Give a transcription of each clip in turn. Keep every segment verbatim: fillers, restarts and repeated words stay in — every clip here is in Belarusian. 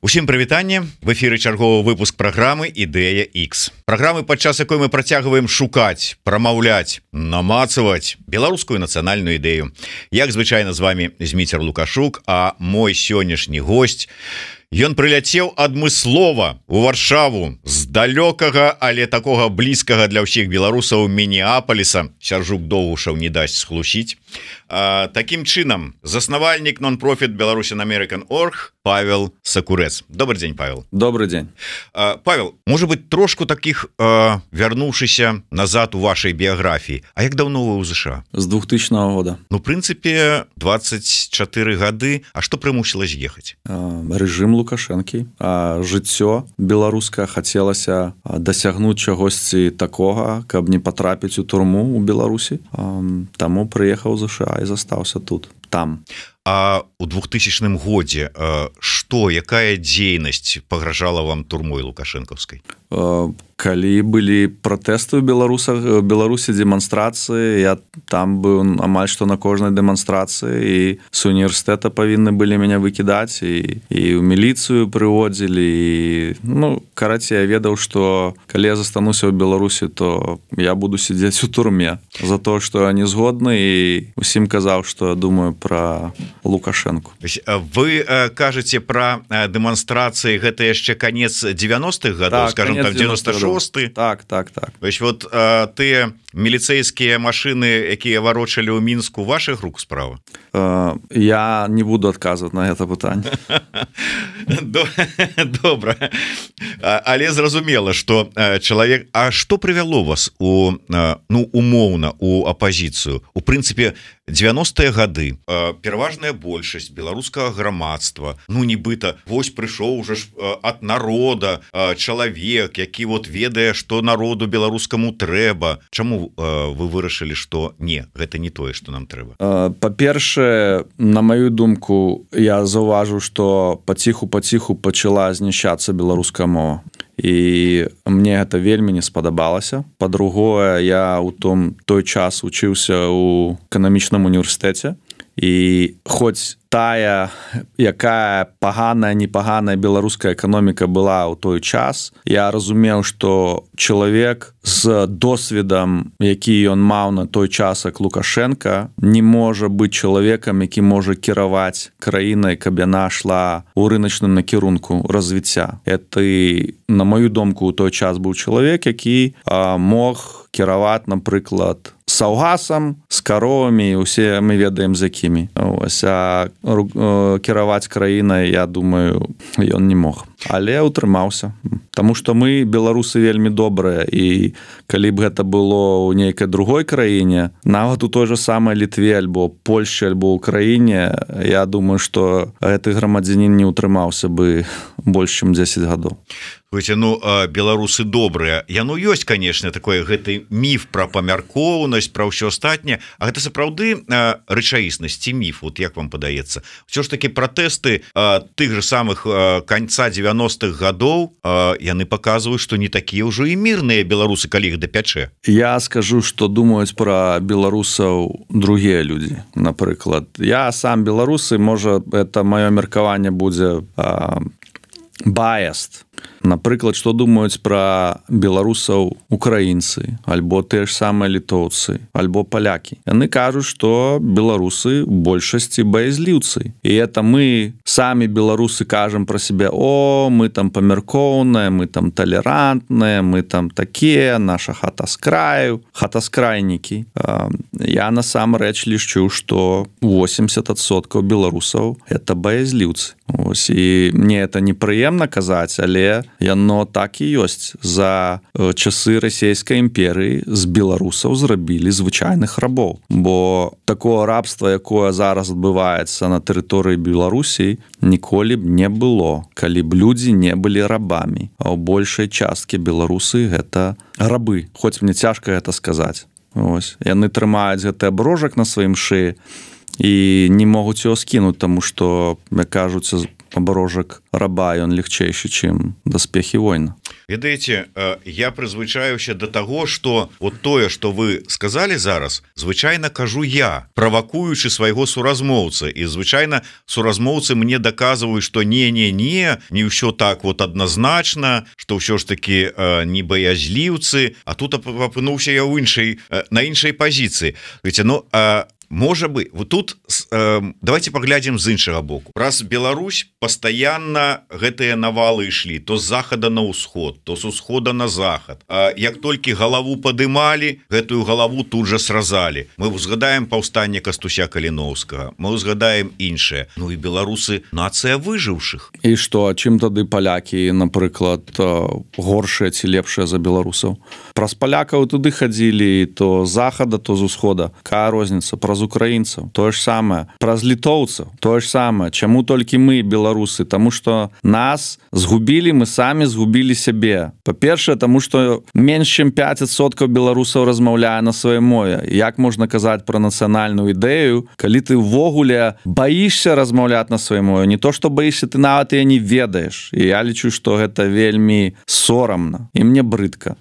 Усім прывітанне, в эфіры чарговы выпуск праграмы Ідэя Х. Праграмы, падчас якой мы працягваем шукаць, прамаўляць, намацаваць беларускую нацыянальную ідэю. Як звычайна з вами Зміцер Лукашук, а мой сённяшні госць, ён прыляцеў адмыслова у Варшаву з далёкага, але такога блізкага для ўсіх беларусаў Мінеапаліса. Сяржук Доўгушаў не дасць схлусіць. А, таким чынам, заснавальнік нон-профит Belarusian American Org Павел Сакурэц. Добрый день, Павел. Добрый день. А, Павел, может быть, трошку таких а, вярнуўшыся назад у вашей биографии. А як давно вы ў ЗША? С двухтысячного года. Ну, в принципе, двадцать четыре гады. А что прымусіла з'ехаць? А, режим Лукашэнкі. А, жыццё беларускае хацелася дасягнуць чагосьці такога, каб не потрапіць у турму у Беларусі. А, таму прыехаў у ЗША і застаўся тут, там. А у двухтысячным годзе што, якая дзейнасць пагражала вам турмой лукашэнкаўскай? Калі былі пратэсты ў беларусах, Беларусі дэманстрацыі, я там быў амаль што на кожнай дэманстрацыі, і з універсітэта павінны былі мяне выкідаць, і, і ў міліцыю прыводзілі, і, ну, карацей, я ведаў, што калі я застануся ў Беларусі, то я буду сидзець у турме за то, што я не згодны, і усім казаў, што я думаю пра Лукашэнку. Вы кажаце пра дэманстрацыі, гэта яшчэ канец девяностых гадоў, так, скажем, там девяносто шосты. Так, так, так. Вось вот а, тыя міліцэйскія машыны, якія варочалі ў Мінску, вашых рук справа? Uh, я не буду адказваць на гэта пытанне. Добра. Але зразумела, што чалавек... А што прывяло вас у, ну, умоўна у апазіцыю? У прынцыпе, девяностыя гады пераважная большасць беларускага грамадства, ну, нібыта, вось прыйшоў уже ж ад народа чалавек, які вот ведае, што народу беларускаму трэба. Чаму вы вырашылі, што не, гэта не тое, што нам трэба? Па-першае, на маю думку, я заўважыў, што паціху-паціху пачала знішчацца беларуская мова. І мне гэта вельмі не спадабалася. Па-другое, я ў том той час вучыўся ў эканамічным універсітэце, і хоць тая, якая паганая, непаганая беларуская эканоміка была ў той час, я разумеў, што чалавек з досведам, які ён маў на той час, як Лукашенка, не можа быць чалавекам, які можа кіраваць краінай, каб яна шла ў рыначным накірунку развіцця. Это, на мою думку, ў той час быў чалавек, які а, мог кіраваць, напрыклад, саўгасам, з каровамі, усе мы ведаем з якімі. Ось, а кіраваць краінай, я думаю, ён не мог. Але утрымаўся. Таму што мы, беларусы, вельмі добрыя, і калі б гэта было ў нейкай другой краіне, нават у той же самай Літве, альбо Польшчы, альбо ўкраіне, я думаю, што гэты грамадзянін не утрымаўся бы больш, чым дзесяць гадоў. Слушайте, ну, беларусы добрыя. Яно ёсць, конечно, такой гэты міф пра памяркоўнасць, пра ўсё астатняе, а гэта сапраўды рэчаіснасць ці міф, вот як вам падаецца? Усё ж такі пратэсты тых же самых канца девяностых гадоў, яны паказваюць, што не такія ўжо і мірныя беларусы, калі іх дапячэ. Я скажу, што думаюць пра беларусаў другія людзі. Напрыклад, я сам беларусы, можа, это маё меркаванне будзе biased. Напрыклад, што думаюць пра беларусаў украінцы, альбо тыя ж самыя літоўцы, альбо палякі. Яны кажуць, што беларусы ў большасці баязліўцы. І это мы, самі беларусы, кажам пра сябе: о, мы там памяркоўныя, мы там талерантныя, мы там такія, наша хата з краю, хатаскрайнікі. Я насамрэч лічу, што восемьдесят адсоткаў беларусаў – это баязліўцы. Ось, і мне это непрыемна казаць, але яно так і ёсць. За часы расійскай імперыі з беларусаў зрабілі звычайных рабоў. Бо такого рабства, якое зараз адбываецца на тэрыторыі Беларусі, ніколі б не было, калі б людзі не былі рабамі. А ў большай часткі беларусы гэта рабы. Хоць мне цяжка гэта сказаць. Ось. Яны трымаюць гэты аброжак на сваім шыі і не могуць яго скінуць, таму што, як кажуць, аброжак раба, ён легчэйшы, чым даспехі война. Ведаеце, я прызвычаюся до того, что вот тое, что вы сказали зараз, звычайно кажу я, правакуючы свайго суразмоўца, і звычайно суразмоўцы мне доказываюць, что не-не-не, не ўсё так вот адназначна, что ўсё ж таки не баязліўцы, а тут апынуўся я ў іншай, на іншай позиции. Ведь, ну, а можа бы вот тут э, давайте поглядзім з іншага боку. Раз Беларусь постоянно гэтыя навалы ішлі то з захада на ўсход, то з усхода на захад. А як толькі галаву падымалі, гэтую галаву тут жа сразалі. Мы узгадаем паўстанне Кастуся Каліноўскага, мы узгадаем іншае. Ну і беларусы нацыя выжыўшых. І што, чым тады палякі, напрыклад, горшыя ці лепшыя за беларусаў? Праз палякаў туды хадзілі то з захада, то з усхода. Какая розніца? Праз украінцаў, тое ж самае, праз літоўцаў, тое ж самае. Чаму толькі мы, беларусы? Таму што нас згубілі, мы самі згубілі сябе. Па-першае, таму што менш чым пяць адсоткаў беларусаў размаўляе на сваёй мове. Як можна казаць пра нацыянальную ідэю, калі ты ўвогуле баішся размаўляць на сваёй мове? Не то, што баішся, ты нават яе не ведаеш. І я лічу, што гэта вельмі сорамна. І мне брыдка.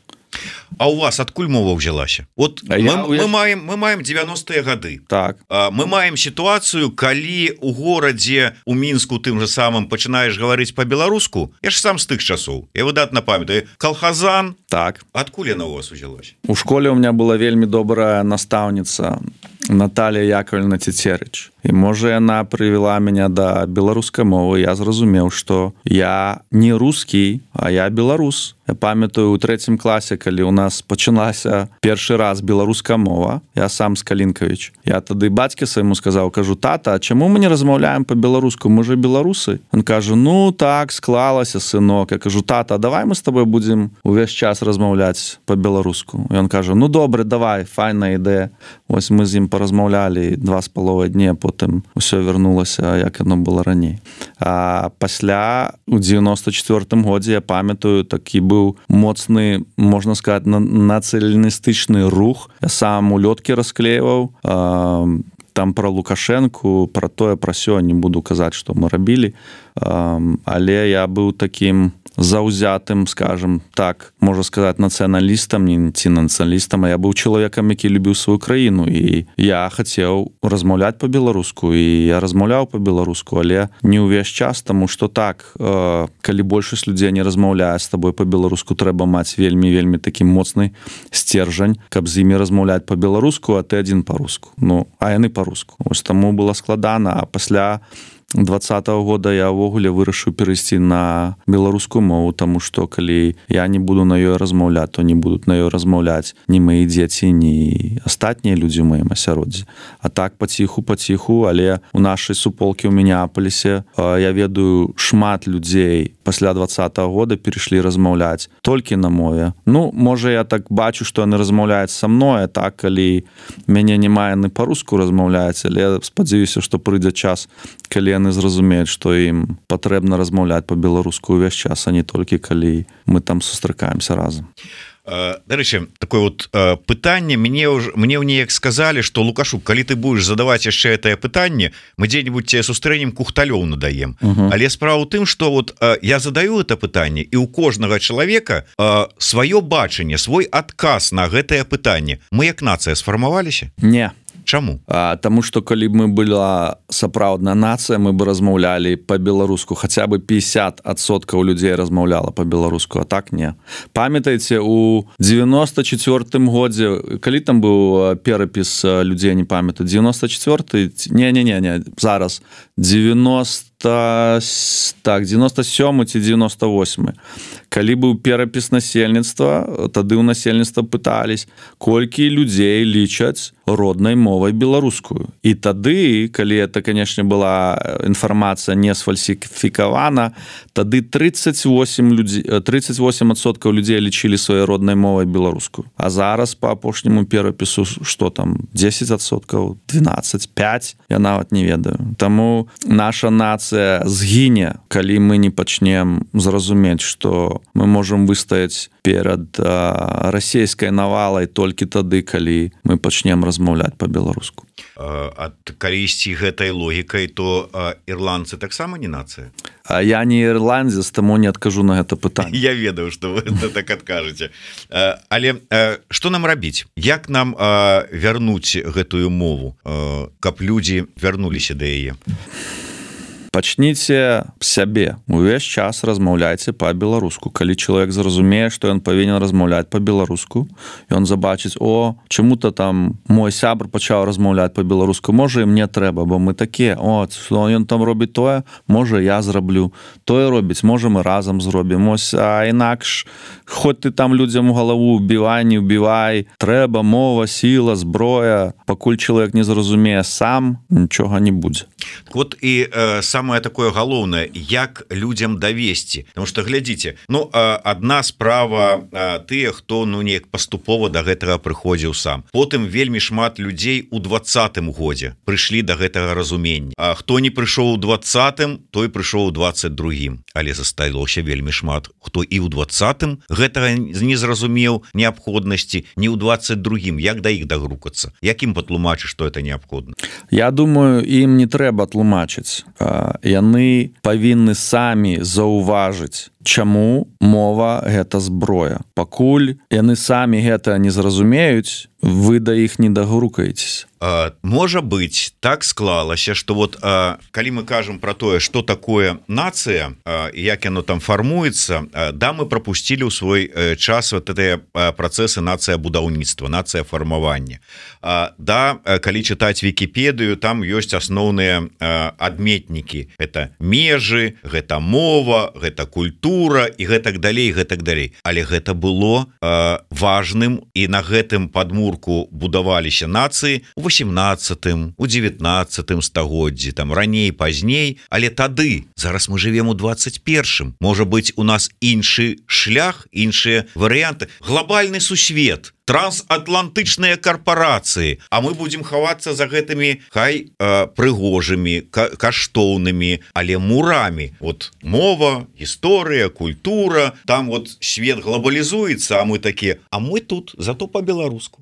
А у вас адкуль мова ўзялася? Вот мы, я, мы, я... маем, мы маем девяностыя гады. Так. Мы маем сітуацыю, калі у горадзе у Мінску тым же самым пачынаеш гаварыць па-беларуску. Я ж сам з тых часоў. Я выдатна памятаю. Калхазан. Так. Адкуль яна у вас узялася? У школе у меня была вельмі добрая настаўніца Наталья Яковлевна Цецерыч. І можа яна прывела мяне да беларускай мовы. Я зразумеў, што я не рускі, а я беларус. Я памятаю у трэцім класе, калі у нас пачалася першы раз беларуская мова, я сам з Калінкавіч. Я тады бацьке свайму сказаў, кажу: тата, а чаму мы не размаўляем па-беларуску? Мы же беларусы. Он кажа: ну так, склалася, сынок. Я кажу: тата, давай мы з табой будзем увесь час размаўляць па-беларуску. І он кажа: ну добре, давай, файная ідэя. Вось мы з ім паразмаўлялі два з паловай дні, потым усё вярнулася, як яно было раней. А пасля у дзевяноста чацвёртым годзе, я памятаю, такі быў моцны, можна сказаць, нацыяналістычны рух. Я сам улёткі расклейваў, там пра Лукашэнку, пра тое, пра сё, не буду казаць, што мы рабілі, але я быў такім заўзятым, скажем так, можна сказаць, нацыяналістам, не ці нацыяналістам, а я быў чалавекам, які любіў сваю краіну, і я хацеў размаўляць па-беларуску, і я размаўляў па-беларуску, але не ўвесь час, таму што так, калі большасць людзей не размаўляе з табой па-беларуску, трэба маць вельмі-вельмі такі моцны сцержань, каб з імі размаўляць па-беларуску, а ты адзін па-руску. Ну, а яны па-руску. Вось таму было складана, а пасля двадцатого года я ўвогуле вырашыў перайсці на беларускую мову, таму што калі я не буду на ёй размаўляць, то не будуць на ёй размаўляць ні мае дзеці, ні астатнія людзі ў маім асяроддзі. А так паціху-паціху, але у нашай суполкі ў Мінеаполісе я ведаю, шмат людзей пасля двадцатого года перайшлі размаўляць толькі на мове. Ну, можа, я так бачу, што яны размаўляюць са мной, а так, калі мяне няма, яны па-руску размаўляюць, але спадзяюся, што прыйдзе час, калі яны зразумеюць, што ім патрэбна размаўляць па-беларуску ўвесь час, а не толькі калі мы там сустракаемся разам. Дарэчы, такое вот пытанне мне мне ў неяк сказалі, што Лукашук, калі ты будешь задаваць яшчэ гэтае пытанне, мы дзе-нибудь тебе сустрэнем кухталёў надаем. Uh-huh. Але справа ў тым, што вот я задаю это пытанне, і ў кожнага чалавека сваё бачанне, свой адказ на гэтае пытанне. Мы як нацыя сфармаваліся? Не. Чаму? А, таму што калі б мы была сапраўдная нацыя, мы бы размаўлялі па-беларуску, хаця бы пятьдесят адсоткаў людзей размаўляла па-беларуску, а так не. Памятаеце, у девяносто четвёртым годзе, калі там быў перапіс людзей, не памятаю, девяносто четвёрты, не-не-не, зараз девяносто так, девяносто сёмы ці девяносто восьмы. Калі быў перапіс насельніцтва, тады ў насельніцтва пытались, колькі людзей лічаць роднай мовай беларускую. І тады, калі это, канешне, была інфармацыя не сфальсіфікавана, тады тридцать восемь людзей, тридцать восемь адсоткаў людзей лічылі сваёй роднай мовай беларускую. А зараз па апошняму перапісу, што там, десять адсоткаў, двенадцать, пять, я нават не ведаю. Таму наша нацыя нацыя згіне, калі мы не пачнем зразумець, што мы можам выстаяць перад а, расійскай навалай толькі тады, калі мы пачнем размаўляць па-беларуску. Ад калі ісці гэтай логікай, то а, ірландцы таксама не нацыя? А я не ірландзец, таму не адкажу на гэта пытанне. Я ведаю, што вы так адкажаце. Але што нам рабіць? Як нам вярнуць гэтую мову, каб людзі вярнуліся да яе? Пачніце сябе. Увесь час размаўляйце па-беларуску. Калі чалавек зразумее, што ён павінен размаўляць па-беларуску, ён забачыць: о, чаму-то там мой сябр пачаў размаўляць па-беларуску, можа і мне трэба, бо мы такія, о, што ён там робіць тое, можа я зраблю. Тое робіць, можа мы разам зробім. Ось, а інакш, хоць ты там людзям у галаву ўбівай, не ўбівай, трэба мова, сіла, зброя. Пакуль чалавек не зразумее сам, нічога не будзе. Вот і э, самое такое галоўнае, як людзям давесці, потому что глядзіце, ну адна справа тыя, хто ну неяк паступова да гэтага прыходзіў сам, потым вельмі шмат людзей у двадцатым годзе прыйшлі да гэтага разумення, а хто не прыйшоў у двадцатым, той прыйшоў у двадцать другім, але засталося вельмі шмат хто і ў двадцатым гэтага не зразумеў неабходнасці, не ў двадцать другім. Як да іх дагрукацца, як ім патлумачыць, што это неабходна? Я думаю, ім не трэба тлумачыць. Яны павінны самі заўважыць, чаму мова гэта зброя. Пакуль яны самі гэта не зразумеюць, вы да іх не дагрукаецеся. Можа быць, так склалася, што вот калі мы кажам пра тое, што такое нацыя, як яно там фармуецца, да, мы прапусцілі ў свой час вот гэтыя працэсы нацыя будаўніцтва, нацыя фармавання. Да, калі чытаць Вікіпедыю, там ёсць асноўныя адметнікі. Гэта межы, гэта мова, гэта культура і гэтак далей, гэтак далей. Але гэта было важным, і на гэтым падмурку будаваліся нацыі у восемнадцатым, у девятнадцатым стагоддзі, там раней, пазней, але тады, зараз мы живем у двадцать першым. Можа быць, у нас іншы шлях, іншыя варыянты, глобальны сусвет, трансатлантычныя карпорацыі, а мы будзем хавацца за гэтымі хай э, прыгожымі, ка каштоўнымі, але мурамі. Вот мова, гісторыя, культура, там вот свет глобалізуецца, а мы такія, а мы тут, зато по-беларуску.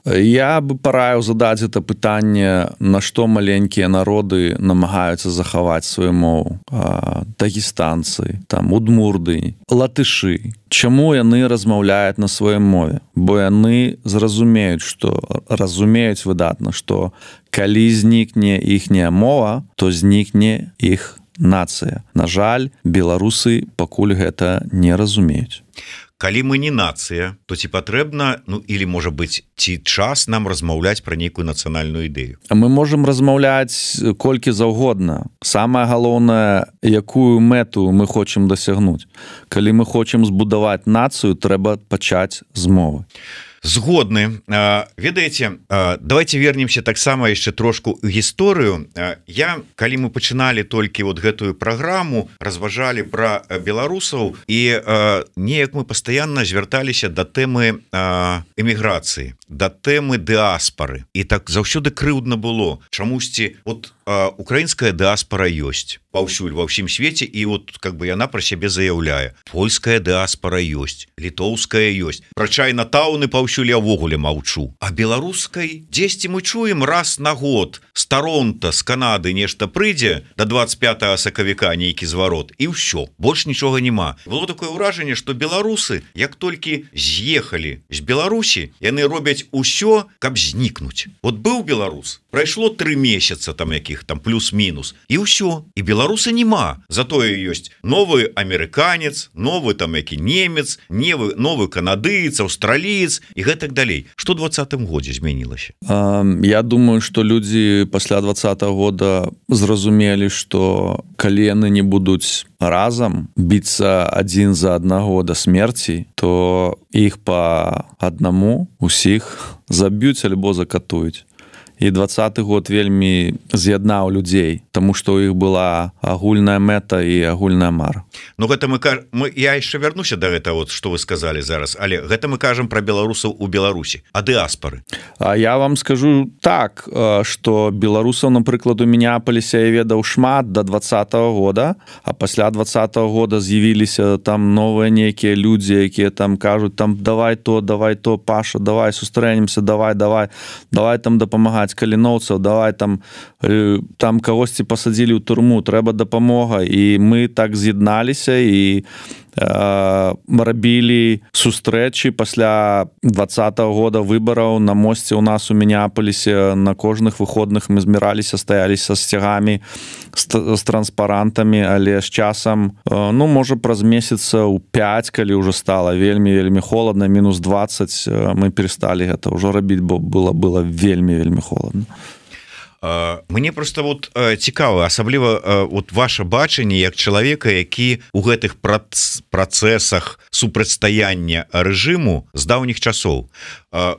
Я бы параіў задаць гэта пытанне, на што маленькія народы намагаюцца захаваць сваю мову. Дагестанцы, там удмурды, латышы. Чаму яны размаўляюць на сваёй мове? Бо яны зразумеюць, што разумеюць выдатна, што калі знікне іхняя мова, то знікне іх нацыя. На жаль, беларусы пакуль гэта не разумеюць. Калі мы не нацыя, то ці патрэбна, ну, или, можа быць, ці час нам размаўляць пра нейкую нацыянальную ідэю? Мы можам размаўляць колькі заўгодна. Самае галоўнае, якую мэту мы хочам дасягнуць. Калі мы хочам збудаваць нацыю, трэба пачаць з мовы. Згодны. Ведаеце, давайте вернемся таксама яшчэ трошку ў гісторыю. Я, калі мы пачыналі толькі вот гэтую праграму, разважалі пра беларусаў, і неяк мы пастаянна звярталіся да тэмы эміграцыі, да тэмы дыаспары. І так заўсёды крыўдна было. Чамусьці вот украінская дыаспара ёсць паўсюль ва ўсім свеце, і вот как бы яна пра сябе заяўляе. Польская дыаспара ёсць, літоўская ёсць. Пра чайнатаўны паўсюль я ўвогуле маўчу. А беларускай дзесьці мы чуем раз на год з Таронта, з Канады нешта прыйдзе да двадцать пятага сакавіка нейкі зварот, і ўсё, больш нічога няма. Было такое ўражанне, што беларусы, як толькі з'ехалі з Беларусі, яны робяць усё, каб знікнуць. Вот быў беларус, прайшло тры месяца там якіх там плюс-мінус, і ўсё, і беларуса няма. Затое ёсць новы амерыканец, новы там які немец, новы, новы канадыец, аўстраліец і гэтак далей. Што ў двадцатым годзе змянілася? Я думаю, што людзі пасля двадцатага года зразумелі, што калі яны не будуць разам біцца адзін за аднаго да смерці, то іх па аднаму усіх заб'юць альбо закатуюць. і двадцаты год вельмі з'яднаў людзей, таму што ў іх была агульная мэта і агульная мара. Ну гэта мы, мы я яшчэ вярнуся да гэта, вот што вы сказалі зараз, але гэта мы кажам пра беларусаў у Беларусі, а дыаспары. А я вам скажу так, што беларусаў, напрыклад, у Мінеаполісе я ведаў шмат да двадцатага года, а пасля двадцатага года з'явіліся там новыя нейкія людзі, якія там кажуць, там давай то, давай то, Паша, давай сустрэнемся, давай, давай, давай там дапамагаць каліноўцаў, давай там там кагосьці пасадзілі ў турму, трэба дапамога, і мы так з'ядналіся і рабілі сустрэчы пасля двадцатага года выбараў на мосце ў нас у Мінеаполісе. На кожных выходных мы зміраліся, стаяліся з сцягамі, з транспарантамі, але з часам, ну, можа, праз месяцаў пяць, калі ўжо стала вельмі вельмі холадна, мінус двадцать, мы пересталі гэта ўжо рабіць, бо было было вельмі вельмі холадна. Мне просто вот цікава, асабліва вот ваше бачанне як чалавека, які у гэтых працэсах супрацьстаяння рэжыму з даўніх часоў.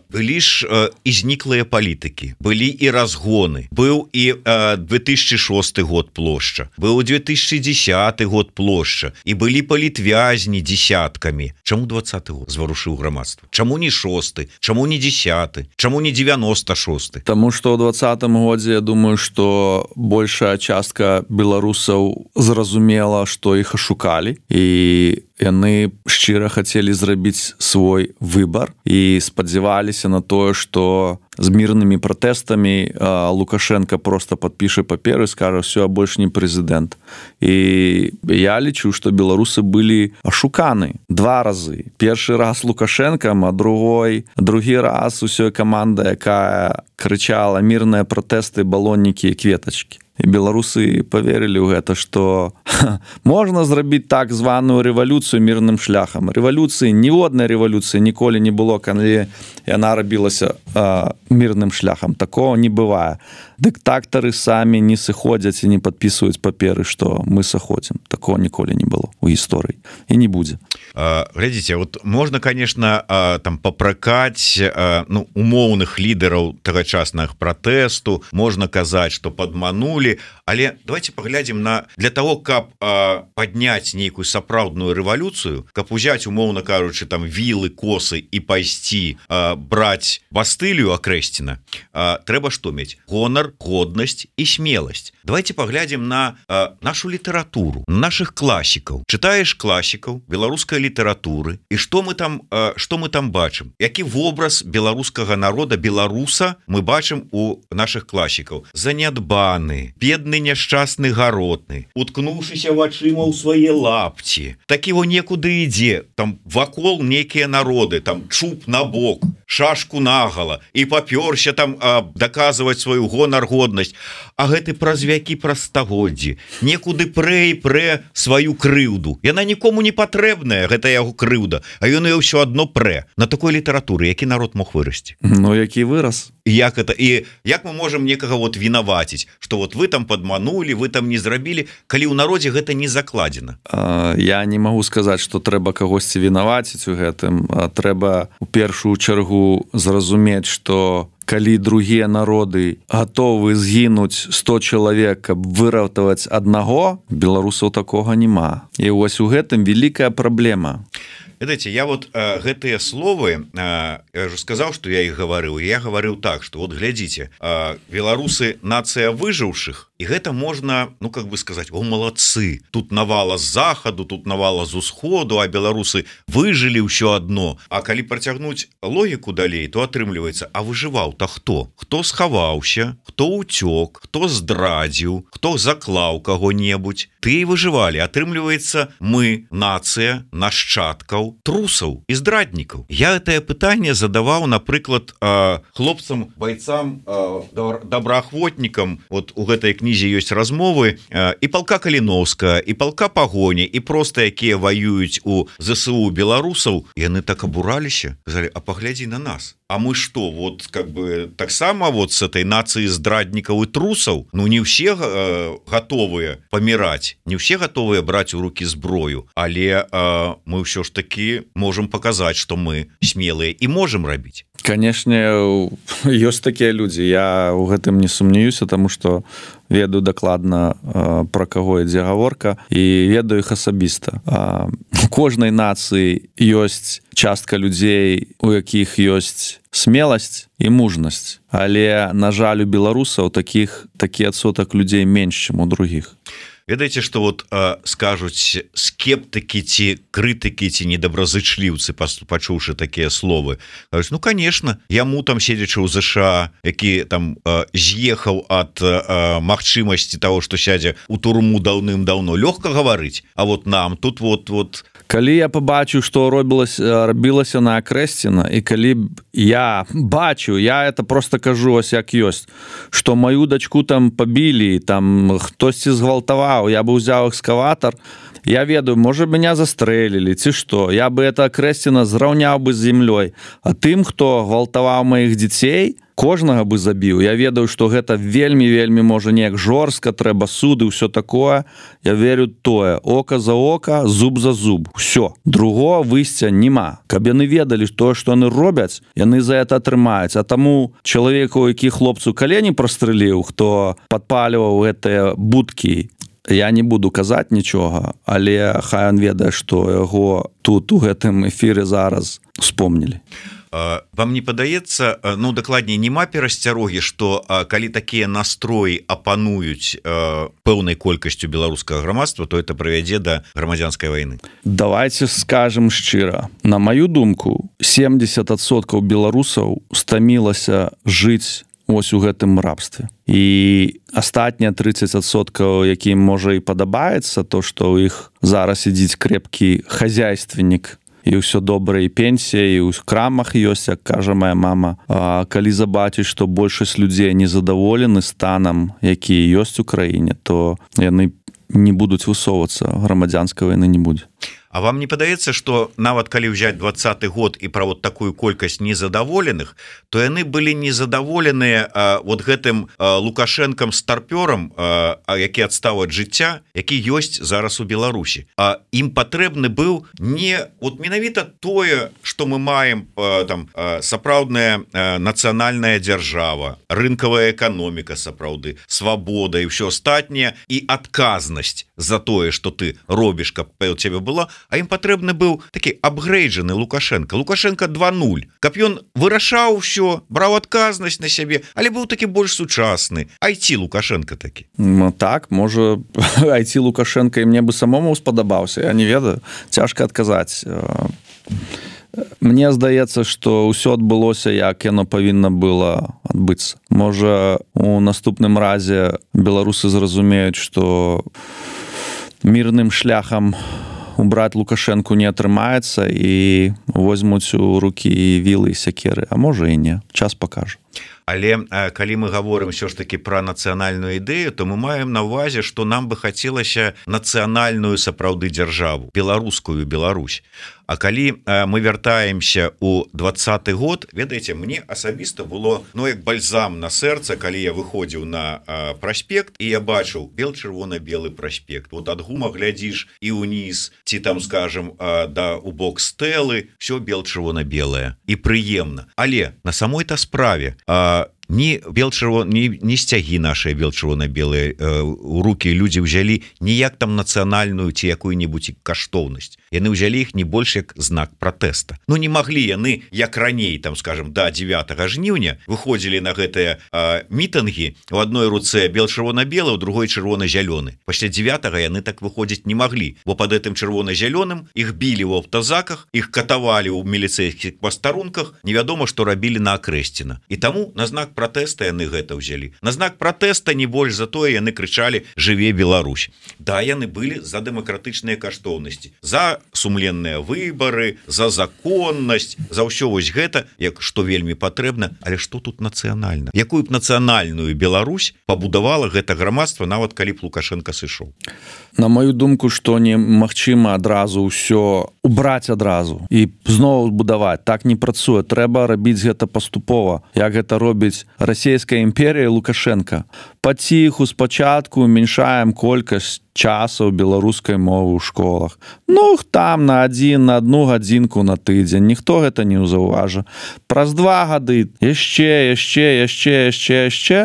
Былі ж і зніклыя палітыкі, былі і разгоны, быў і две тысячи шосты год плошча, быў две тысячи десятый год плошча, і былі палітвязні десяткамі. Чаму двадцаты год зварушыў грамадства? Чаму не шосты? Чаму не десяты? Чаму не девяносто шосты? Таму што ў двадцатым годзе, я думаю, што большая частка беларусаў зразумела, што іх ашукалі, і яны шчыра хацелі зрабіць свой выбар і спадзяваліся на тое, што з мірнымі пратэстамі Лукашенко просто падпіша паперы і скажа: все, а больш не прэзідэнт. І я лічу, што беларусы былі ашуканы два разы. Першы раз Лукашенкам, а другой другі раз усёй каманда, якая крычала мірныя пратэсты, балоннікі і кветачкі. І беларусы поверылі ў гэта, што можна зрабіць так званую рэвалюцыю мірным шляхам. Рэвалюцыі, ніводнай рэвалюцыі ніколі не было, калі яна рабілася а, мірным шляхам. Такого не бывае. Дыктатары самі не сыходзяць і не падпісваюць паперы, што мы сыходзім. Такого ніколі не было ў гісторыі і не будзе. Глядзіце, вот можна, конечно, там папракаць ну, умоўных лідараў тагачаснага пратэсту, можна казаць, што падманулі, але давайте паглядзім на для того, каб падняць нейкую сапраўдную рэвалюцыю, каб узяць, умоўна кажучы, там вілы, косы і пайсці браць Бастылію Акрэсціна, трэба што мець? Гонар, годнасць і смеласць. Давайте паглядзім на нашу літаратуру, наших класікаў. Чытаеш класікаў беларускай літаратуры, і што мы там што мы там бачым? Які вобраз беларускага народа, беларуса мы бачым у наших класікаў? Занядбаны, бедны, няшчасны, гаротны, уткнуўшыся вачыма ў свае лапці, такі во некуды ідзе, там вакол нейкія народы, там чуб на бок, шашку нагала, і папёрся там а, даказваць сваю гонар, годнасць, а гэты праз вякі, праз стагоддзі некуды прэ і прэ сваю крыўду. Яна нікому не патрэбная, гэта яго крыўда, а ён і ўсё адно прэ. На такой літаратуры які народ мог вырасці? Ну, які вырас? Як это, і як мы можам некага вот вінаваціць, што вот вы там падманулі, вы там не зрабілі, калі ў народзе гэта не закладзена? А, я не магу сказаць, што трэба кагосьці вінаваціць у гэтым. А трэба у першую чаргу зразумець, што калі другія народы гатовы згінуць сто чалавек, каб выратаваць аднаго, беларусаў такога няма. І вось у гэтым вялікая праблема. Ведаеце, я вот э, гэтыя словы, э, я уже сказаў, што я іх гаварыў, я гаварыў так, што вот глядзіце, э, беларусы нацыя выжыўшых, і гэта можна, ну как бы сказаць, о, малацы, тут навала з захаду, тут навала з усходу, а беларусы выжылі ўсё адно. А калі працягнуць логіку далей, то атрымліваецца, а выжываў-то хто? Хто схаваўся, хто ўцёк, хто здрадзіў, хто заклаў каго-небудзь? Ты і выжывалі. Атрымліваецца, мы, нацыя нашчадкаў трусаў і здраднікаў. Я гэтае пытанне задаваў, напрыклад, хлопцам, байцам, добраахвотнікам. Вот у гэтай кнізе ёсць размовы і палка Каліноўскага, і палка Пагоні, і проста якія ваююць у ЗСУ беларусаў. Яны так абураліся, казалі: а паглядзі на нас. А мы што, вот как бы таксама вот с этой нацыі здраднікаў і трусаў? Ну не ўсе э, гатовыя паміраць, не ўсе гатовыя браць у рукі зброю, але э, мы ўсё ж таки можем паказаць, што мы смелыя і можем рабіць. Канешне, ёсць такія людзі. Я ў гэтым не сумнеюся, таму што ведаю дакладна, пра каго ідзе гаворка, і ведаю іх асабіста. У кожнай нацыі ёсць частка людзей, у якіх ёсць смеласць і мужнасць. Але, на жаль, у беларусаў такіх такі адсотак людзей менш, чым у другіх. Ведаеце, што вот э, скажуць скептыкі ці крытыкі ці недобразычліўцы, пачуўшы такія словы, кажуць, ну, конечно, яму там седзячы ў ЗША, які там э, з'ехаў ад э, магчымасці того, што сядзе ў турму даўным-даўно, лёгка гаварыць, а вот нам тут вот вот калі я побачыў, што робілася рабілася на Акрэсціна, і калі я бачу, я это просто кажу ось як ёсць, што маю дачку там пабілі, там хтосьці згвалтаваў, я бы ўзяў экскаватар, я ведаю, можа меня застрэлілі ці што, я бы это Акрэсціна зраўняў бы з зямлёй, а тым, хто гвалтаваў маіх дзяцей, кожнага бы забіў. Я ведаю, што гэта вельмі-вельмі можа неяк жорстка, трэба суды, ўсё такое. Я верю тое, ока за ока, зуб за зуб. Усё. Другого выйсця няма. Каб яны ведалі тое, што яны робяць, яны за это атрымаюць. А таму чалавеку, які хлопцу калені прастрэліў, хто падпаліваў гэтыя будкі, я не буду казаць нічога, але хай ён ведае, што яго тут у гэтым эфіры зараз успомнілі. Вам не падаецца, ну, дакладней, няма перасцярогі, што калі такія настроі апануюць пэўнай колькасцю беларускага грамадства, то это прывядзе да грамадзянскай вайны? Давайте скажем шчыра. На маю думку, семьдесят адсоткаў беларусаў стамілася жыць ось у гэтым рабстве. І астатнія тридцать адсоткаў, якім можа і падабаецца, то, што ў іх зараз ідзіць крэпкі хазяйственнік, і ўсё добра, і пенсія, і ў крамах ёсць, як кажа моя мама. А калі забачыць, што большасць людзей незадаволены станам, які ёсць у краіне, то яны не будуць высоўвацца, грамадзянскай вайны не будзе. А вам не падаецца, што нават калі ўзяць двадцаты год і пра вот такую колькасць незадаволеных, то яны былі незадаволеныя а, вот гэтым а, Лукашэнкам старпёрам, а, а, які адстаў ад жыцця, які ёсць зараз у Беларусі. А ім патрэбны быў не вот менавіта тое, што мы маем а, там а, сапраўдная а, нацыянальная дзяржава, рынкавая эканоміка сапраўды, свабода і ўсё астатняе, і адказнасць за тое, што ты робіш, каб у цябе была, а ім патрэбны быў такі апгрэйджаны Лукашенко. Лукашенко два нуль. Каб ён вырашаў усё, браў адказнасць на сябе, але быў такі больш сучасны. ай ти Лукашенко такі. Ну так, можа, ай ти Лукашенко і мне бы самому спадабаўся, я не ведаю. Цяжка адказаць. Мне здаецца, што ўсё адбылося, як яно павінна было адбыцца. Можа, у наступным разе беларусы зразумеюць, што мірным шляхам убраць Лукашэнку не атрымаецца і возьмуць у рукі вілы і сякеры, а можа і не. Час пакажа. Але калі мы гаворым ўсё ж такі пра нацыянальную ідэю, то мы маем на ўвазе, што нам бы хацелася нацыянальную сапраўды дзяржаву, беларускую Беларусь. А калі мы вяртаемся ў двадцаты год, ведаеце, мне асабіста было, ну, як бальзам на сэрца, калі я выходзіў на праспект, і я бачыў бел-чырвона-белы праспект. Вот ад гума глядзіш і ўніз, ці там, скажем, да у бок стэлы, все бел-чырвона-белае і прыемна. Але на самой-то справе ні бел-чырвон, ні, ні сцягі нашыя бел-чырвона-белыя э, у рукі людзі ўзялі ніяк там нацыянальную ці якую-небудзь каштоўнасць. Яны ўзялі іх не больш як знак пратэста. Ну не маглі яны, як раней, там, скажем, да дзевятага жніўня выходзілі на гэтыя э, мітынгі, у адной руцэ бел-чырвона-белы, у другой чырвона-зялёны. Пасля дзевятага яны так выходзіць не маглі, бо пад гэтым чырвона-зялёным іх білі ў аўтазаках, іх катавалі ў міліцэйскіх пастарунках, невядома, што рабілі на Акрэсціна. І таму на знак пратэста яны гэта ўзялі. На знак пратэста не больш за тое яны крычалі «Жыве Беларусь». Да, яны былі за дэмакратычныя каштоўнасці, за сумленныя выбары, за законнасць, за ўсё вось гэта, як што вельмі патрэбна, але што тут нацыянальна? Якую б нацыянальную Беларусь пабудавала гэта грамадства, нават калі б Лукашенко сышоў? На мою думку, што немагчыма адразу ўсё убраць адразу і зноў будаваць. Так не працуе. Трэба рабіць гэта паступова. Як гэта робіць расійская імперія Лукашенко. Паціху спачатку уменьшаем колькасць часаў беларускай мовы ў школах. Ну, там на адзін, на одну гадзінку на тыдзень. Ніхто гэта не ўзаўважа. Праз два гады яшчэ, яшчэ, яшчэ, яшчэ, яшчэ.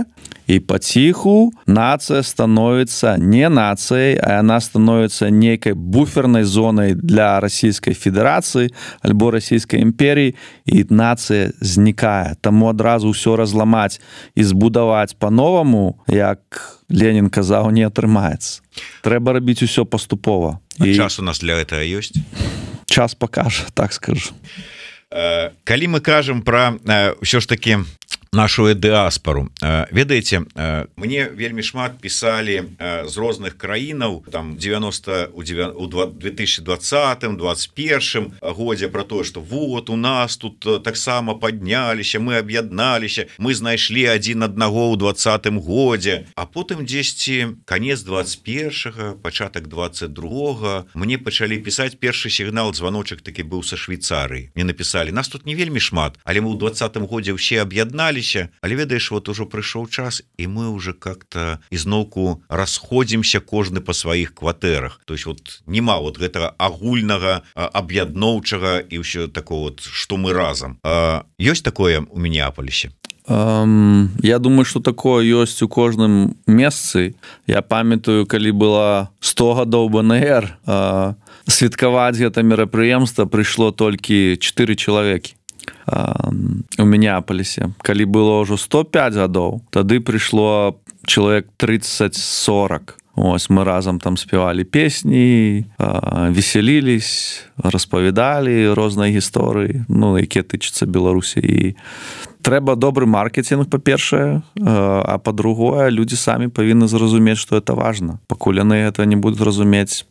І паціху нацыя становіцца не нацыяй, а яна становіцца нейкай буфернай зонай для Расійскай Федэрацыі альбо Расійскай імперіі, і нацыя знікае. Таму адразу ўсё разламаць і збудаваць па-новаму, як Ленін казаў, не атрымаецца. Трэба рабіць усё паступова. А і... час у нас для гэтага ёсць? Час пакажа, так скажу. Э, калі мы кажам пра э, ўсё ж такі нашу дыаспору, ведаеце, мне вельмі шмат пісалі з розных краінаў там девяносто у две тысячи двадцатым двадцать первым годзе про тое, что вот у нас тут таксама падняліся, мы аб'ядналіся, мы знайшлі адзін аднаго ў двадцатым годзе, а потым дзесьці канец двадцать первого, пачатак двадцать другого мне пачалі пісаць першы сігнал, званочак такі быў са Швейцарыі. Мне напісалі: нас тут не вельмі шмат, але мы ў двадцатым годзе ўсе аб'ядналі. Але ведаеш, вот ужо прыйшоў час, і мы уже как-то ізноўку расходзімся кожны па сваіх кватэрах. То есть вот нема вот гэтага агульнага аб'ядноўчага і ўсё такого вот, што мы разам. А, ёсць такое у Мінеаполісе? Um, я думаю, что такое ёсць у кожным месцы. Я памятаю, калі было сто гадоў бэ эн эр, uh, святкаваць гэта мерапрыемства прыйшло толькі чатыры чалавекі у Мінеаполісе. Калі было ўжо сто пять гадоў, тады прыйшло чалавек тридцать сорок. Ось мы разам там спявалі песні, весялілись, распавядалі розныя гісторыі, ну, якія тычацца Беларусі. І трэба добры маркетинг, па-першае, а па-другое, людзі самі павінны зразумець, што это важна. Пакуль яны гэта не будуць разумець,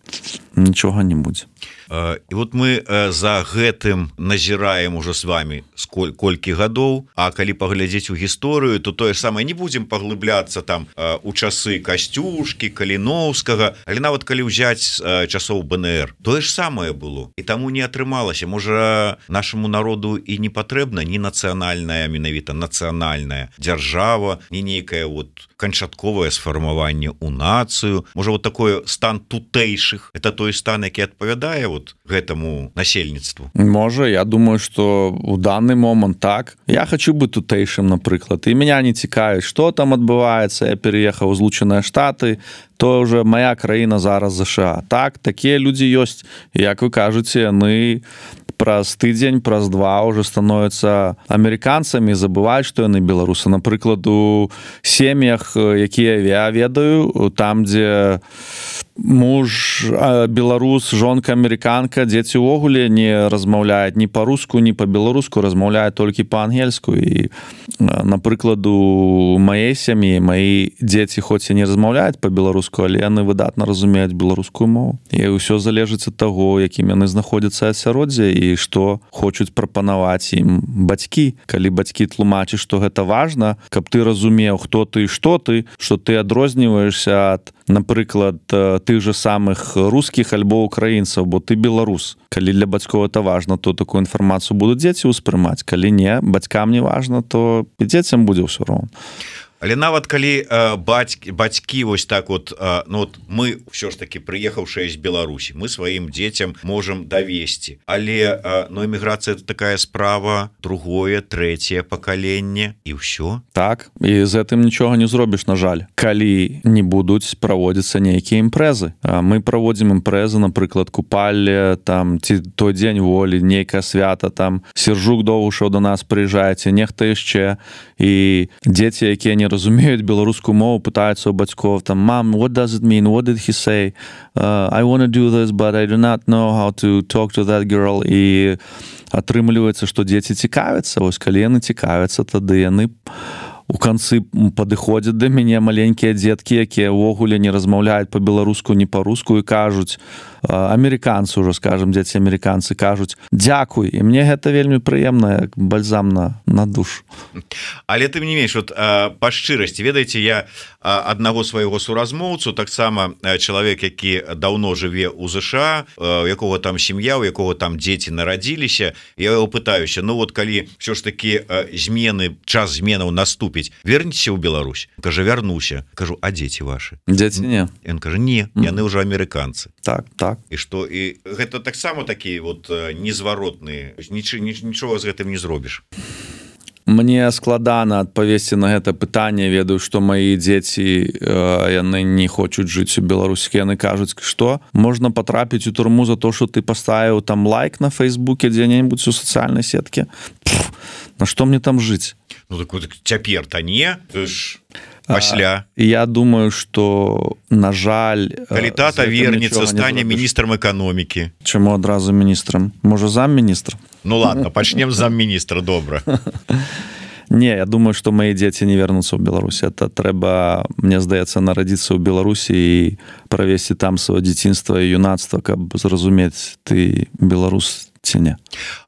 нічога не будзе. І вот мы за гэтым назіраем уже с вами сколь, колькі гадоў, а калі паглядзець у гісторыю, то тое самае, не будзем паглыбляцца там у часы Касцюшкі, Каліноўскага, але нават калі ўзяць часоў бэ эн эр, тое ж самае было. І таму не атрымалася. Можа, нашаму народу і не патрэбна ні нацыянальная, менавіта нацыянальная дзяржава, ні нейкае вот канчатковае сфармаванне ў нацыю. Можа, вот такой стан тутэйшых, это той стан, які адпавядае вот гэтаму насельніцтву. Можа, я думаю, что у данный момент так. Я хочу быць тутэйшым, напрыклад, і меня не цікавіць, што там адбываецца. Я переехаў у Злучаныя Штаты, то уже моя краіна зараз ЗША. Так, такія людзі ёсць. Як вы кажаце, яны праз тыдзень, праз два уже становятся амерыканцамі, забываюць, што яны беларусы. Напрыклад, у сем'ях, якія я ведаю, там, дзе муж беларус, жонка амерыканка, дзеці ўвогуле не размаўляюць ні па-руску, ні па-беларуску, размаўляюць толькі па-ангельску. І, напрыклад, у маёй сям'і маі дзеці хоць і не размаўляюць па-беларуску, але яны выдатна разумеюць беларускую мову. І ўсё залежыць ад таго, якім яны знаходзяцца асяроддзе і што хочуць прапанаваць ім бацькі. Калі бацькі тлумачаць, што гэта важна, каб ты разумеў, хто ты і што ты, што ты адрозніваешся ад, напрыклад, тых же самых рускіх альбо украінцаў, бо ты беларус. Калі для бацькоў это важна, то такую інфармацыю будуць дзеці ўспрымаць. Калі не, бацькам не важна, то і дзецям будзе ўсё роўна. Але нават калі э, бацькі, бацькі вось так вот, э, ну вот мы ўсё ж таки прыехаўшыя з Беларусі, мы сваім дзецям можам давесці, але э, ну, эміграцыя это такая справа, другое, трэцяе пакаленне і ўсё. Так, і з гэтым нічога не зробіш, на жаль. Калі не будуць праводзіцца нейкія імпрэзы. Мы праводзім імпрэзы, напрыклад, купалле, там, ці той дзень волі, нейкае свята, там, Сержук Довгушаў до нас прыязджае, ці нехта яшчэ, і дзеці, якія не разумеюць беларускую мову, пытаюцца у бацькоў там: "Mom, what does it mean? What did he say? Uh, I want to do this, but I do not know how to talk to that girl." І атрымліваецца, што дзеці цікавяцца. Вось калі яны цікавяцца, тады яны у канцы падыходзяць да мяне, маленькія дзеткі, якія ўвогуле не размаўляюць па-беларуску, ні па-руску, і кажуць: амерыканцы уже скажем дзеці амерыканцы кажуць дзякуй, і мне гэта вельмі прыемна, як бальзам на, на душу. Але ты не менш вот па шчырасці ведаеце, я аднаго свайго суразмоўцу, таксама чалавек, які даўно жыве ў ЗША, у якога там сям'я, у якога там дзеці нарадзіліся, я его пытаюся, ну вот калі все ж таки змены, час зменаў наступіць, верніцеся ў Беларусь? Кажа, вярнуся. Кажу, а дзеці ваши? Дзеці не. Ён кажа, не, яны ўжо амерыканцы. Так, так. І што, і гэта таксама такі вот незваротныя, нічога з гэтым не зробіш. Мне складана адпавесці на гэта пытанне, ведаю, што маі дзеці яны не хочуць жыць у Беларусі, яны кажуць, што можна патрапіць у турму за то, што ты паставіў там лайк на Фейсбуке дзе-небудзь у сацыяльнай сетке. Пф, на што мне там жыць? Ну так вот цяпер-то не, ты ж пасля. А, я думаю, што на жаль, калі тата вернецца, стане міністрам эканомікі. Чаму адразу міністрам? Можа замміністра? Ну ладно, пачнем з замміністра, добра. Не, я думаю, што мои дзеці не вернуцца ў Беларусі. Это трэба, мне здаецца, нарадзіцца ў Беларусі і правесці там сваё дзяцінства і юнацтва, каб зразумець, ты беларус ці не.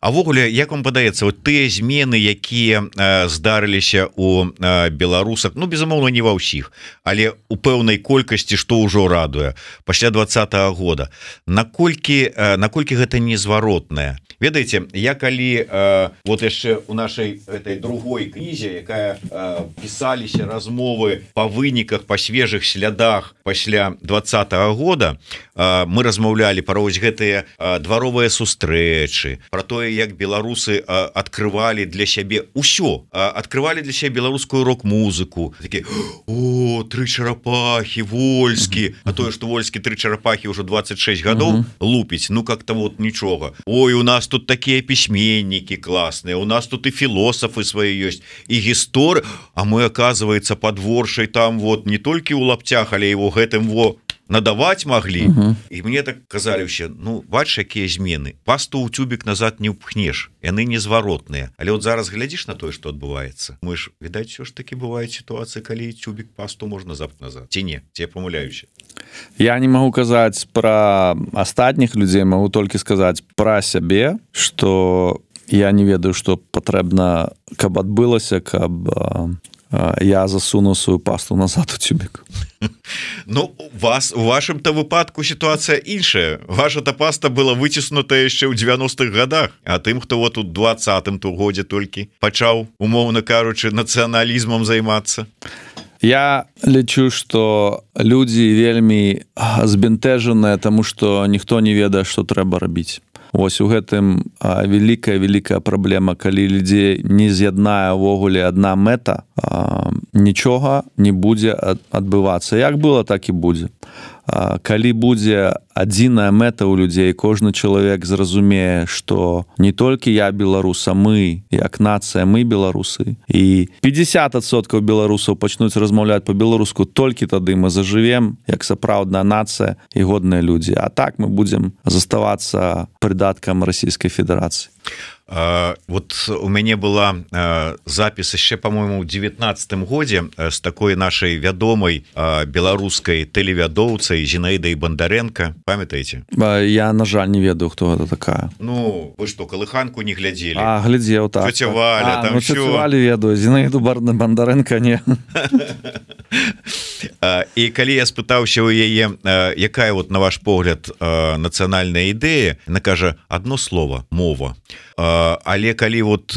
А ввогуле, як вам падаецца, вот тыя змены, якія э, здарыліся у э, беларусах, ну безумоўна не ва ўсіх, але у пэўнай колькасці, што ўжо радуе пасля двадцатага года, наколькі э, наколькі гэта незваротнае? Ведаеце, я калі э, вот яшчэ у нашай этой другой кнізе, якая э, пісаліся размовы па выніках, па свежых слядах пасля двадцатага года, э, мы размаўлялі пра вось гэтыя э, дваровыя сустрэчы, про тое, як беларусы э, адкрывалі для сябе ўсё, э, адкрывалі для сябе беларускую рок-музыку, такі, о, тры чарапахі, Вольскі, а тое, што Вольскі тры чарапахі ўжо двадцать шесть гадоў лупіць, ну как-то вот нічога. Ой, у нас тут такія пісьменнікі класныя, у нас тут і філосафы свае ёсць, і гісторы, а мы, оказывается, под Воршай там вот не толькі ў лаптях, але его гэтым во надаваць маглі. Uh-huh. І мне так казалі ўсе, ну, бач, якія змены. Пасту ў тюбік назад не ўпхнеш, яны незваротныя. Але вот зараз глядзіш на тое, што адбываецца. Мы ж, відаць, все ж таки бываюць сітуацыі, калі тюбік пасту можна запхнуць назад. Ці не? Ці я памыляюся? Я не магу казаць пра астатніх людзей, магу толькі сказаць пра сябе, што я не ведаю, што патрэбна, каб адбылася, каб я засунуў сваю пасту назад у тюбік. Ну, вас, у вашым-то выпадку ситуация іншая. Ваша-то паста была выціснутая яшчэ ў девяностых годах, а тым, хто вот у двадцатым годзе толькі пачаў, умоўна кажучы, нацыяналізмам займацца. Я лічу, што людзі вельмі збянтэжаныя, таму што ніхто не ведае, што трэба рабіць. Вось у гэтым вялікая-вялікая праблема, калі людзей не з'яднае ўвогуле адна мэта, нічога не будзе адбывацца. Як было, так і будзе. Калі будзе адзіная мэта ў людзей, кожны чалавек зразумее, што не толькі я беларус, а мы, як нацыя, мы беларусы. І пятьдесят адсоткаў беларусаў пачнуць размаўляць па-беларуску, толькі тады мы зажывем, як сапраўдная нацыя і годныя людзі. А так мы будзем заставацца прыдаткам Расійскай Федэрацыі. Uh, вот у мяне была uh, запіс яшчэ, по-моему, у девятнадцатым годзе з такой нашай вядомай uh, беларускай тэлевядоўцай Зінаідай Бандарэнка. Памятаеце? Я, на жаль, не ведаю, хто гэта такая. Ну, вы што, калыханку не глядзелі? А, глядзеў, так. Цёця Валя, а, там ну, всё. Цёцю Валю ведаю, Зінаіду Бандарэнка не. І калі я спытаўся ў яе, якая, вот, на ваш погляд, нацыянальная ідэя, яна кажа, адно слово, мова. Але калі вот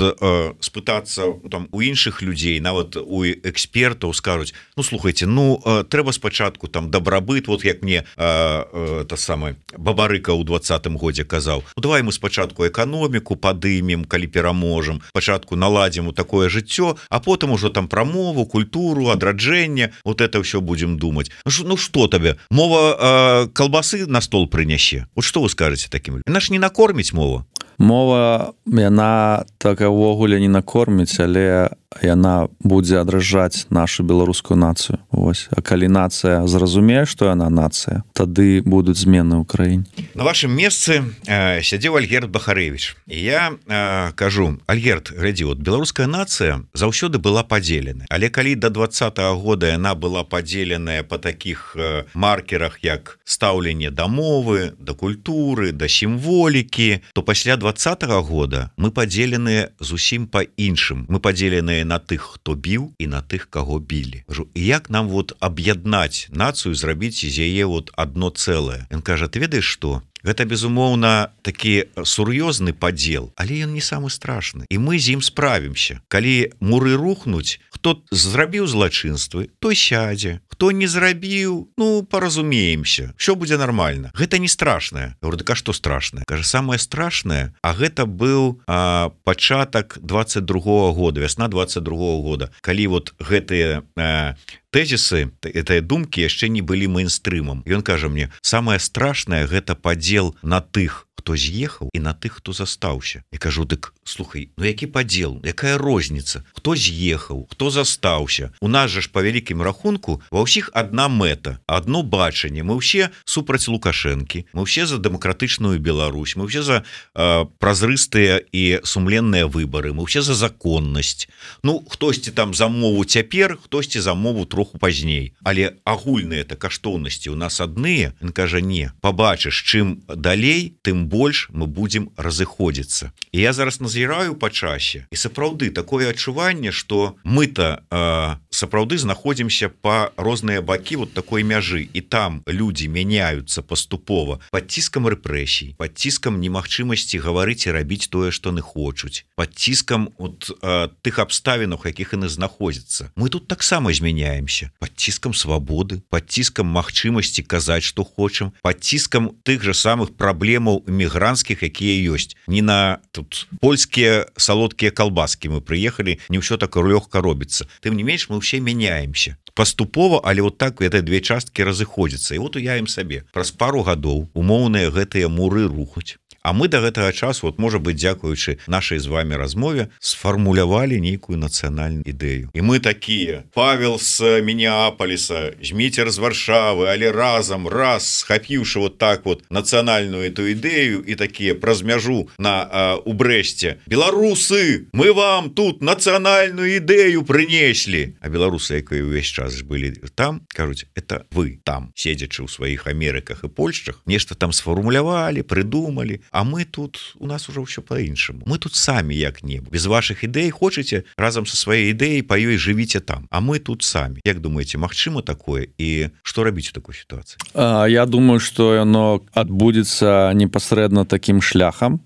спытацца там у іншых людзей, нават у экспертаў скажуць, ну слухайте, ну трэба спачатку там дабрабыт, вот як мне та самая Бабарыка ў двадцатым годзе казаў, ну давай мы спачатку эканоміку падымем, калі пераможам, спачатку наладзім у такое жыццё, а потым ужо там пра мову, культуру, адраджэнне, вот это ўсё будзем думаць. Ну што табе, мова калбасы на стол прынясе? Вот што вы скажаце такім? Яна ж не накорміць мова. Мова, яна так увогуле не накорміць, але яна будзе адражаць нашу беларускую нацыю. Вось. А калі нацыя зразумее, што яна нацыя, тады будуць змены ў краіне. На вашым месцы э, сядзеў Альгерд Бахарэвіч. І я э, кажу: Альгерд, глядзі, от беларуская нацыя заўсёды была падзеленая. Але калі да двадцатага года яна была падзеленая па такіх э, маркерах, як стаўленне да мовы, да культуры, да сімволікі, то пасля двадцатага года мы падзеленыя зусім па іншым. Мы падзеленыя на тых, хто біў, і на тых, каго білі. Кажу, і як нам вот аб'яднаць нацыю, зрабіць з яе вот адно цэлае? Ён кажа: ты ведаеш што? Гэта, безумоўна, такі сур'ёзны падзел, але ён не самы страшны. І мы з ім справімся. Калі муры рухнуць, хто зрабіў злачынствы, той сядзе. Хто не зрабіў, ну, паразумеемся. Всё будзе нармальна. Гэта не страшнае. Я говорю: так а што страшнае? Кажа, самае страшнае, а гэта быў а, пачатак двадцать другого года, вясна двадцать другого года, калі вот гэтыя а, тэзісы, гэтыя думкі яшчэ не былі мейнстрымам. Ён кажа мне: самае страшнае гэта падзел на тых, хто з'ехаў, і на тых, хто застаўся. Я кажу: дык слухай, ну які падзел, якая розніца? Хто з'ехаў, хто застаўся? У нас жа ж па вялікім рахунку ва ўсіх адна мэта, адно бачанне. Мы ўсе супраць Лукашэнкі, мы ўсе за дэмакратычную Беларусь, мы ўсе за э, празрыстыя і сумленныя выбары, мы ўсе за законнасць. Ну, хтосьці там за мову цяпер, хтосьці за мову троху пазней. Але агульныя-то каштоўнасці у нас адныя. Ён кажа: не, пабачыш, чым далей, тым больш мы будзем разыходзіцца. І я зараз назіраю па часе, і сапраўды такое адчуванне, што мы-то э, сапраўды знаходзімся па розныя бакі вот такой мяжы, і там людзі мяняюцца паступова пад ціскам рэпрэсій, пад ціскам немагчымасці гаварыць і рабіць тое, што яны хочуць, пад ціскам от, э, тых абставінах, якіх яны знаходзяцца. Мы тут таксама змяняемся пад ціскам свабоды, пад ціскам магчымасці казаць, што хочам, пад ціскам тых жа самых праблемаў мігрантскіх, якія ёсць. Не на тут польскія салодкія калбаскі мы прыехалі, не ўсё так лёгка робіцца. Тым не менш, мы ўсе мяняемся паступова, але вот так гэтыя две часткі разыходзяцца. І вот уявім сабе, праз пару гадоў умоўныя гэтыя муры рухнуць. А мы да гэтага часу, вот, можа быць, дзякуючы нашай з вами размове, сфармулявалі нейкую нацыянальную ідэю. І мы такія: Павел з Мінеаполіса, Зміцер з Варшавы, але разам, раз, схапіўшы вот так вот нацыянальную эту ідэю, і такія праз мяжу на, а, у Брэсце: беларусы, мы вам тут нацыянальную ідэю прынеслі. А беларусы, якія ўвесь час былі там, кажуць: это вы там, седзячы ў сваіх Амерыках і Польшчах, нешта там сфармулявалі, прыдумалі. А мы тут, у нас уже ўсё па-іншаму. Мы тут самі як-небудзь. Без вашых ідэй хочаце, разам са сваёй ідэяй па ёй жывіце там. А мы тут самі. Як думаеце, магчыма такое? І што рабіць у такой сітуацыі? Я думаю, што яно адбудзецца непасрэдна такім шляхам,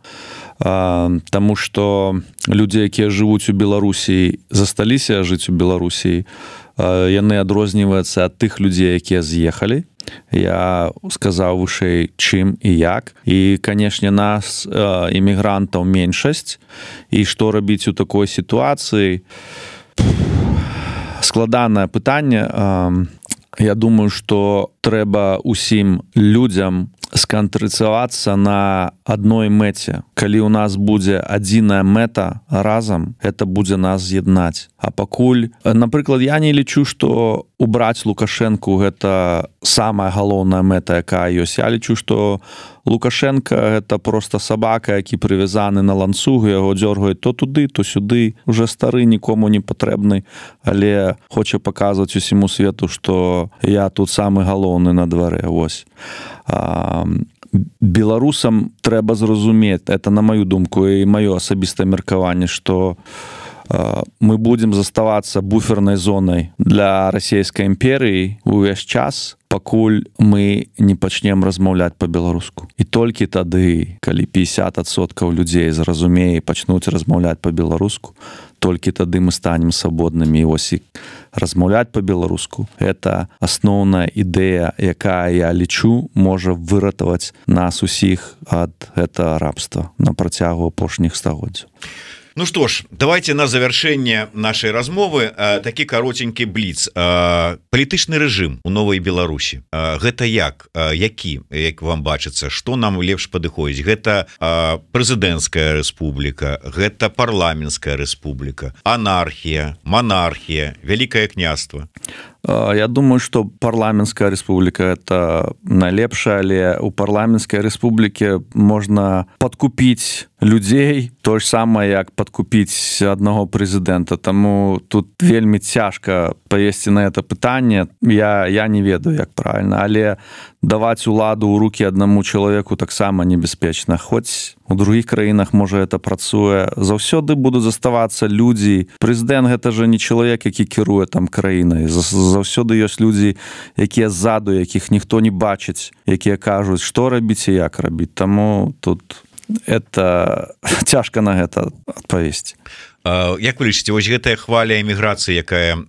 таму што людзі, якія жывуць у Беларусі, засталіся жыць у Беларусі, яны адрозніваюцца ад тых людзей, якія з'ехалі. Я сказаў вышэй, чым і як. І, канешне, нас, імігрантаў, меншасць. І што рабіць у такой сітуацыі? Складанае пытанне. Я думаю, што трэба усім людзям сканцэнтравацца на адной мэце. Калі ў нас будзе адзіная мэта разам, это будзе нас з'яднаць. А пакуль, напрыклад, я не лічу, што убраць Лукашэнку гэта самая галоўная мэта, якая ёсць. Я лічу, што Лукашенко гэта проста сабака, які прывязаны на ланцугу, яго дзёргаюць то туды, то сюды. Уже стары, нікому не патрэбны, але хоча паказваць усіму свету, што я тут самы галоўны на дварэ. Вось. Беларусам трэба зразумець, это на маю думку і маё асабістае меркаванне, што мы будзем заставацца буфернай зонай для расійскай імперыі увесь час, пакуль мы не пачнем размаўляць па-беларуску. І толькі тады, калі пятьдесят адсоткаў людзей зразумее і пачнуць размаўляць па-беларуску, толькі тады мы станем свабоднымі. І вось і размаўляць па-беларуску — это асноўная ідэя, якая, я лічу, можа выратаваць нас усіх ад гэтага рабства на працягу апошніх стагоддзяў. Ну что ж, давайте на завершэнне нашай размовы такі каротенькі бліц. Палітычны рэжым у Новай Беларусі, гэта як, які, як вам бачыцца, што нам лепш падыходзіць? Гэта прэзідэнцкая рэспубліка, гэта парламенцкая рэспубліка, анархія, монархія, вялікае княства? Я думаю, что парламенская республика это найлепшая, але у парламенской республики можно подкупить людей, то же самое, як подкупить одного президента. Тому тут вельмі цяжка повесці на это пытанне. Я, я не ведаю, як правильно, але даваць уладу ў руки одному человеку таксама небяспечна. Хоць у других краінах, можа, это працуе. Заўсёды будуць заставацца людзі. Прэзідэнт гэта же не чалавек, які кіруе там краінай. Заўсёды ёсць людзі, якія ззаду, якіх ніхто не бачыць, якія кажуць, што рабіць і як рабіць. Таму тут это цяжка на гэта адпавесці. Як вы лічыце, вось гэтая хваля эміграцыі, якая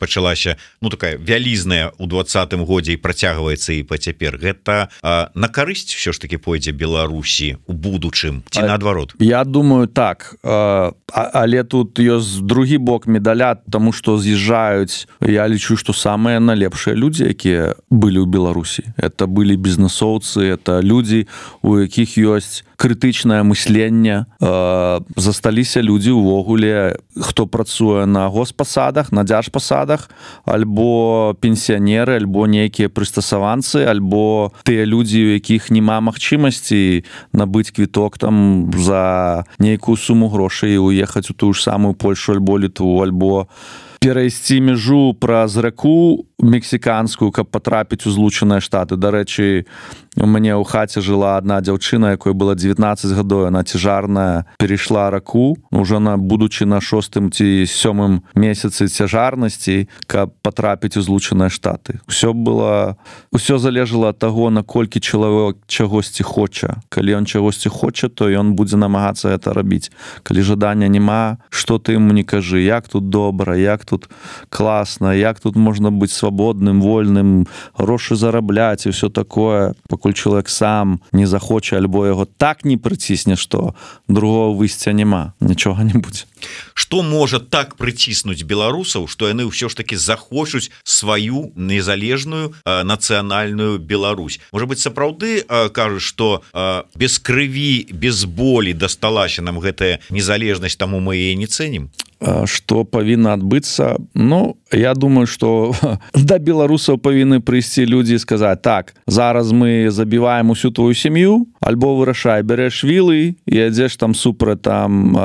пачалася, ну такая вялізная ў двадцатым годзе і працягваецца і па цяпер, гэта на карысць ўсё ж таки пойдзе Беларусі у будучым ці наадварот? Я думаю, так, але тут ёсць другі бок медаля, таму што з'язджаюць, я лічу, што самыя найлепшыя людзі, якія былі ў Беларусі, это былі бізнесоўцы, это людзі, у якіх ёсць крытычнае мысленне, засталіся людзі увогуле, хто працуе на госпасадах, на дзяржпасадах, альбо пенсіянеры, альбо нейкія прыстасаванцы, альбо тыя людзі, у якіх няма магчымасці набыць квіток там за нейкую суму грошай і уехаць у тую ж самую Польшу альбо Літву, альбо перайсці мяжу праз раку мексіканскую, каб патрапіць у Злучаныя Штаты. Дарэчы, у мяне ў хаце жыла адна дзяўчына, якой было дзевятнаццаць гадоў, она цяжарная, перайшла раку, уже на будучы на шостым ці сёмым месяцы цяжарнасці, каб патрапіць у Злучаныя Штаты. Усё было, усё залежала ад таго, наколькі чалавек чагосьці хоча. Калі ён чагосьці хоча, то ён будзе намагацца гэта рабіць. Калі жадання няма, што ты яму не кажы, як тут добра, як тут класна, як тут можна быць свабодным, вольным, грошы зарабляць і ўсё такое, пакуль чалавек сам не захоча, альбо яго так не прыцісне, што другого выйсця няма, нічога не будзе. Што можа так прыціснуць беларусаў, што яны ўсё ж такі захочуць сваю незалежную э, нацыянальную Беларусь? Можа быць, сапраўды э, кажуць, што э, без крыві, без болі дасталася нам гэтая незалежнасць, таму мы яе не цэнім? Што павінна адбыцца? Ну, я думаю, што да беларусаў павінны прыйсці людзі і сказаць, так, зараз мы забіваем усю твою сям'ю, альбо вырашай, бярэш вілы і ядзеш там супраць там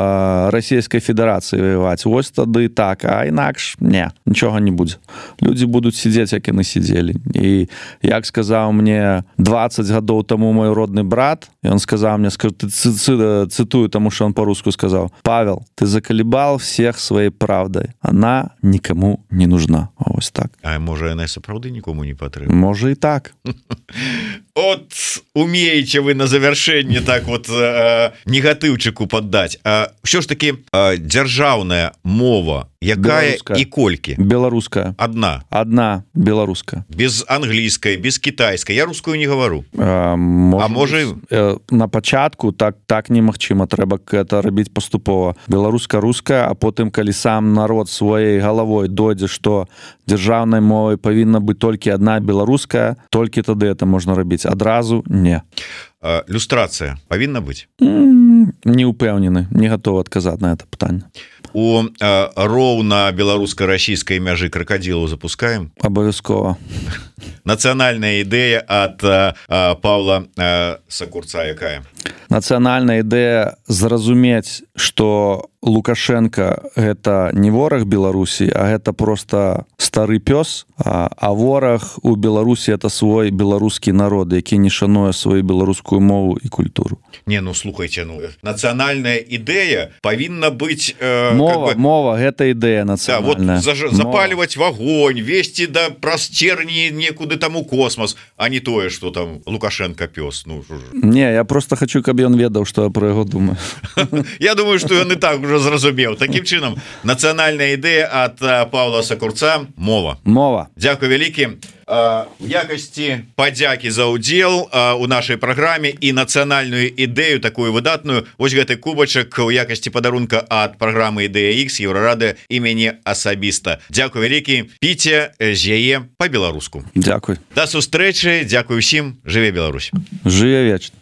Расійскай Федэрацыі ваяваць. Вось тады так, а інакш не, нічога не будзе. Людзі будуць сидзець, як яны сидзелі. І як сказаў мне дваццаць гадоў таму мой родны брат, ён сказаў мне, цытую, таму што он по-руску сказаў, Павел, ты закалебал все своей правдой. Она никому не нужна. Ось так. А може, яна сапраўды нікому не патрэбна? Може і так. От умееце вы на завяршэнне так вот э, негатыўчыку паддаць. А ўсё ж таки э, дзяржаўная мова, якая беларуская. І колькі? Беларуская. Одна? Одна беларуская. Без англійскай, без кітайскай. Я рускую не гавару. А, може, а можа... Э, на пачатку так, так немагчыма. Трэба гэта рабіць паступова. Беларуска-руская, а потым, калі сам народ сваёй галавой дойдзе, што дзяржаўнай мовай павінна быць толькі одна беларуская, толькі тады это можна рабіць. Адразу не. А, люстрацыя павінна быць? Mm, не упэўнены, не гатовы адказаць на это пытанне. У а, роўна беларуска-расійскай мяжы кракадзілаў запускаем? Абавязкова. Нацыянальная ідэя ад а, а, Павла а, Сакурца якая? Нацыянальная ідэя зразумець, што Лукашенко гэта не вораг Беларусі, а гэта просто стары пёс, а, а вораг у Беларусі это свой беларускі народ, які не шануе сваю беларускую мову і культуру. Не, ну слухайте, ну нацыянальная ідэя павінна быць э, мова, как бы... мова гэта ідэя нацыянальная. Да, вот заж... запальваць вагонь, весці да праз церні некуды там у космос, а не тое, што там Лукашенко пёс. Ну, не, я просто хочу, каб ён ведаў, што я про яго думаю. Я думаю, што ён і так уже зразумеў. Такім чынам, нацыянальная ідэя ад Павла Сакурца — мова. Мова. Дзякуй вялікі. в якасці падзякі за ўдзел у нашай праграме і нацыянальную ідэю такую выдатную, вось гэты кубачак у якасці падарунка ад праграмы Ідэя Х Еўрарады і мяне асабіста. Дзякуй вялікі, піце з яе па-беларуску. Дзякуй. Да сустрэчы, дзякуй усім, жыве Беларусь. Жыве вечна.